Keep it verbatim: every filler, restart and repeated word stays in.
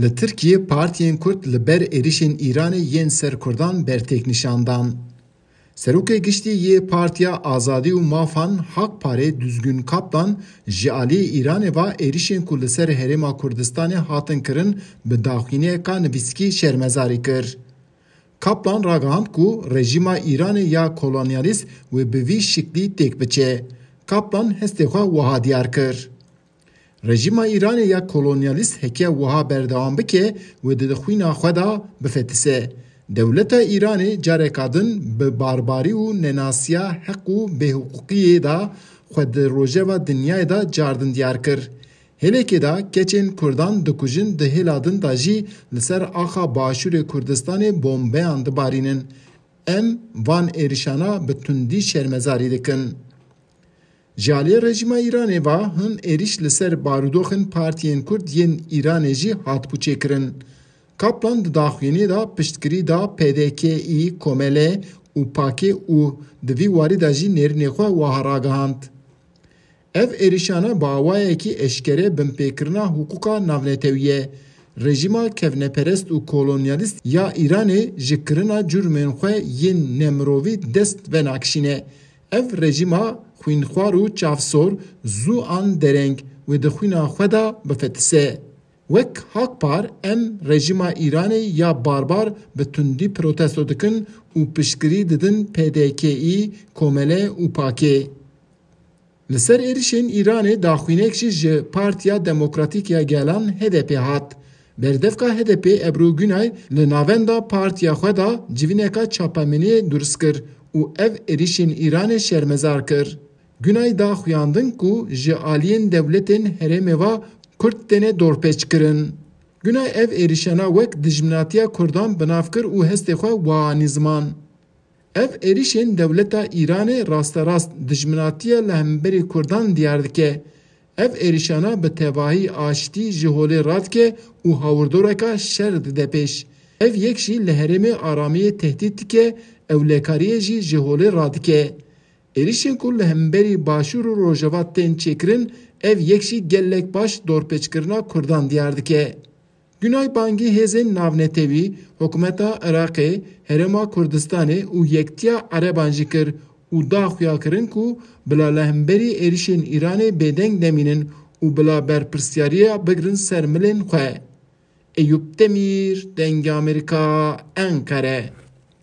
Li Tirkiyê partiyên Kurd li ber êrişên Îranê yên ser Kurdan bertêk nîşan dan. Serokê Giştî yê Partiya Azadî û Mafan, HAK-PARê, Düzgün Kaplan ji aliyê Îranê ve êrişên ku li ser Herêma Kurdistanê hatin kirin bi daxuyaniyeka nivîskî şermezarî kir. Kaplan ragihand ku rejîma Îranê ya kolonyalîst wê bi vî şiklî têk biçe. Kaplan hestê xwe wiha diyar kir: Rejîma Îranê ya kolonyalîst heke wiha berdewam bike, wê di xwîna xwe de bifetise. Dewleta Îranê careka din bi barbarî û nenasiya heq û bêhiqûqiyê de xwe di rojeva dinyayê de cardin diyar kir. Hêlekê de keçên Kurdan dikujin, di hêla din de jî li ser axa Başûrê Kurdistanê bombeyan dibarînin. Em van êrişana bi tundî şermezarî dikin. Ji aliyê rejîma Îranê ve hin êrîş li ser barûdoxên partiyên Kurd yên Îranê jî hatibû çêkirin. Kaplan di daxuyaniyê de piştgirî da P D K'î, Komele û Pakê û di vî warî de jî nêrînê xwe wiha ragihand: Ev êrişana bi awayekî eşkere binpêkirina hiqûqa navnetewî ye. Rejîma kevneperest û kolonyalîst ya Îranê ji kirina cûrmên xwe yên nemirovî dest venakişîne. Ev rejîma xwînxwar û çavsor zû an dereng wê di xwîna xwe de bifetise. Wek HAK-PAR em rejîma Îranê ya barbar bi tundî protesto dikin û piştgirî didin P D K'î, Komele û Pakê. Li ser êrişên Îranê daxuyanek jî ji Partiya Demokratîk ya Gelan, H D P, hat. Berdevka H D P, Ebru Günay, li navenda partiya xwe de civîneka çapemeniyê durust kir û ev êrişên Îranê şermezar kir. Günay da xuyandin ku ji aliyên dewletên herêmê ve Kurd têne dorpêçkirin. Günay ev êrişana wek dijminatiya Kurdan bi nav kir û hestê xwe wiha anî ziman: Ev êrişên dewleta Îranê rasterast dijminatiya li hemberî Kurdan diyar dike. Ev êrişana bi tevahî aştî ji holê radike û hawirdoreka şer dide pêş. Ev yek jî li herêmê aramiyê tehdît dike, ewlekariyê jî ji holê radike. Êrişên ku li hemberî Başûr û Rojava tên çêkirin, ev yek jî gelek baş dorpêçkirina Kurdan diyar dike. Günay bangî hêzên navnetewî, hikûmeta Iraqê, Herêma Kurdistanê û Yektiya Ereban jî kir û da xuyakirin ku bila li hemberî êrişên Îranê bêdeng nemînin û bila berpirsyariya bigrin ser milên xwe. Eyûp Demîr, Dengê Amerîka, Enqere.